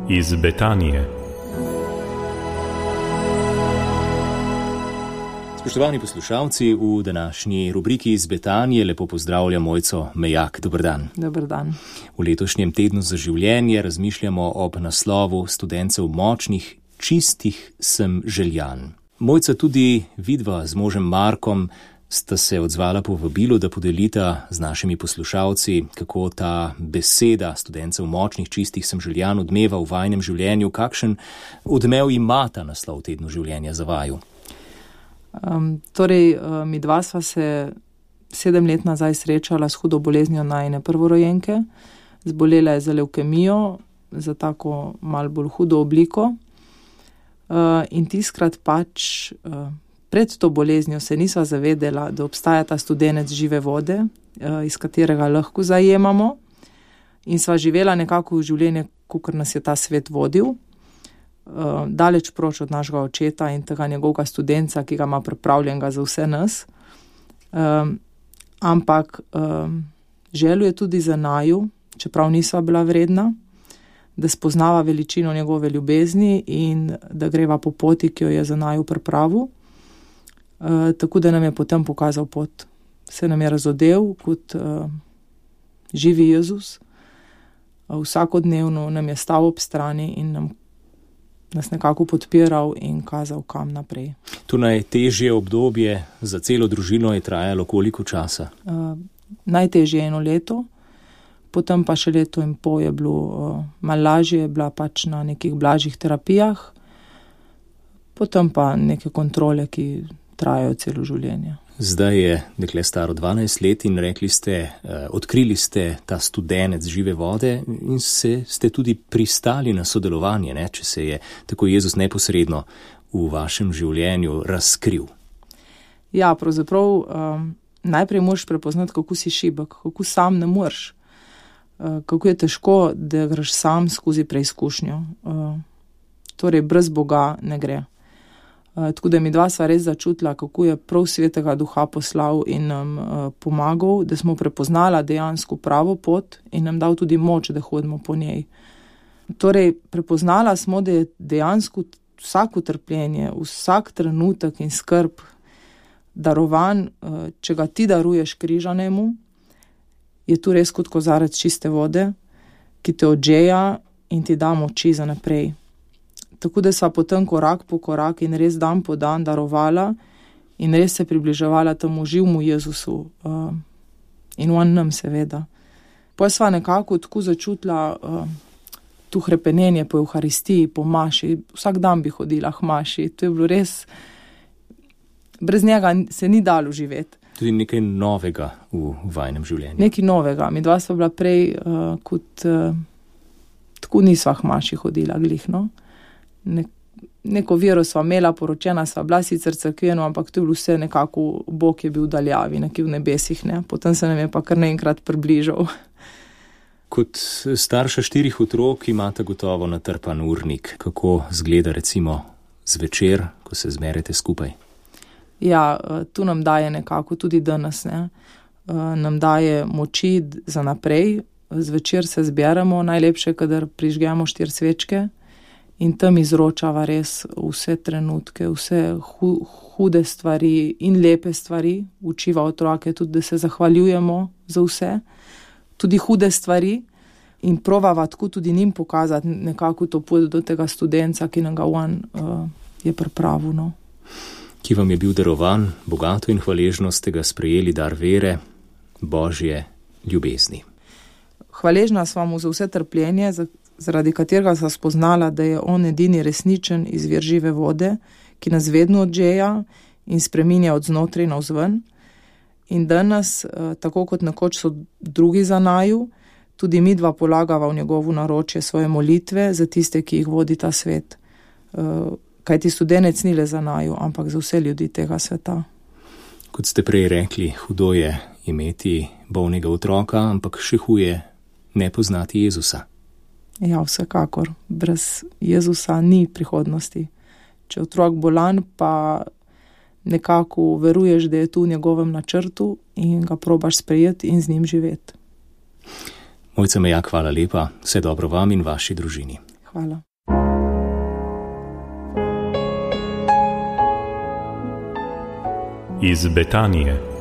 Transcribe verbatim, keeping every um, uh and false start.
iz Betanije. Spoštovani poslušalci, v današnji rubriki iz Betanije lepo pozdravljam Mojco Mejak. Dober dan. Dober dan. V letošnjem tednu za življenje razmišljamo ob naslovu Studencev močnih, čistih sem željan. Mojca, tudi vidva z možem Markom sta se odzvala po vabilu, da podelita z našimi poslušalci, kako ta beseda Studencev močnih, čistih sem željan odmeva v vajinem življenju. Kakšen odmev ima ta naslov tednu življenja za vaju? Um, torej, mi dva sva se sedem let nazaj srečala s hudo boleznijo najine prvorojenke. Zbolela je za levkemijo, za tako malo bolj hudo obliko. Uh, in tiskrat pač uh, pred to boleznijo se nisva zavedela, da obstaja ta studenec žive vode, uh, iz katerega lahko zajemamo. In sva živela nekako v življenje, kakor nas je ta svet vodil. Uh, daleč proč od našega očeta in tega njegovega studenca, ki ga ima pripravljenega za vse nas. Um, ampak um, željo je tudi za naju, čeprav nisva bila vredna, da spoznava veličino njegove ljubezni in da greva po poti, ki jo je za naju pripravil. Uh, tako da nam je potem pokazal pot. Se nam je razodel kot uh, živi Jezus. Uh, vsakodnevno nam je stal ob strani in nam nas nekako podpiral in kazal, kam naprej. To najtežje obdobje za celo družino je trajalo koliko časa? Uh, najtežje eno leto, potem pa še leto in pol je bilo uh, malo lažje, je bila pač na nekih blažjih terapijah, potem pa neke kontrole, ki trajajo celo življenje. Zdaj je dekle staro dvanajst let in rekli ste, eh, odkrili ste ta studenec žive vode in se, ste tudi pristali na sodelovanje, ne, če se je tako Jezus neposredno v vašem življenju razkril. Ja, pravzaprav um, najprej moraš prepoznati, kako si šibek, kako sam ne moreš, uh, kako je težko, da greš sam skozi preizkušnjo. Uh, torej, brez Boga ne gre. Uh, tako da mi dva sva res začutila, kako je prav Svetega Duha poslal in nam uh, pomagal, da smo prepoznala dejansko pravo pot in nam dal tudi moč, da hodimo po njej. Torej, prepoznala smo, da je dejansko vsako trpljenje, vsak trenutek in skrb darovan, uh, če ga ti daruješ križanemu, je tu res kot kozarec čiste vode, ki te odžeja in ti da moči za naprej. Tako da sva potem korak po korak in res dan po dan darovala in res se približevala temu živmu Jezusu uh, in on nam seveda. Potem sva nekako tako začutila uh, tu hrepenenje po Evharistiji, po maši. Vsak dan bi hodila k maši. To je bilo res, brez njega se ni dalo živeti. Tudi nekaj novega v vajnem življenju. Nekaj novega. Mi dva sva bila prej uh, kot uh, tako nisva k maši hodila glihno. Ne, neko vero sva imela, poročena sva bila sicer cerkveno, ampak to je bilo vse nekako, Bog je bil v daljavi, nekje v nebesih, ne. Potem se nam je pa kar naenkrat približal. Kot starša štirih otrok imate gotovo natrpan urnik. Kako zgleda recimo zvečer, ko se zmerete skupaj? Ja, tu nam daje nekako tudi danes, ne. Nam daje moči za naprej. Zvečer se zberemo, najlepše, kadar prižgemo štiri svečke. In tam izročava res vse trenutke, vse hu, hude stvari in lepe stvari. Učiva otroke tudi, da se zahvaljujemo za vse, tudi hude stvari. In provava tako tudi njim pokazati nekako to pot do tega studenca, ki nam ga on uh, je pripravil. No. Ki vam je bil darovan, bogato in hvaležno ste ga sprejeli dar vere, Božje ljubezni. Hvaležna sva mu za vse trpljenje, za zaradi katerega sva spoznala, da je on edini resničen izvir žive vode, ki nas vedno odžeja in spreminja od znotraj navzven. In danes, tako kot nekoč so drugi za naju, tudi mi dva polagava v njegovo naročje svoje molitve za tiste, ki jih vodi ta svet. Kajti studenec ni le za naju, ampak za vse ljudi tega sveta. Kot ste prej rekli, hudo je imeti bolnega otroka, ampak še huje ne poznati Jezusa. Ja, vsekakor. Brez Jezusa ni prihodnosti. Če otrok bolan, pa nekako veruješ, da je tu v njegovem načrtu in ga probaš sprejeti in z njim živeti. Mojca Mejak, hvala lepa. Vse dobro vam in vaši družini. Hvala. Iz Betanije.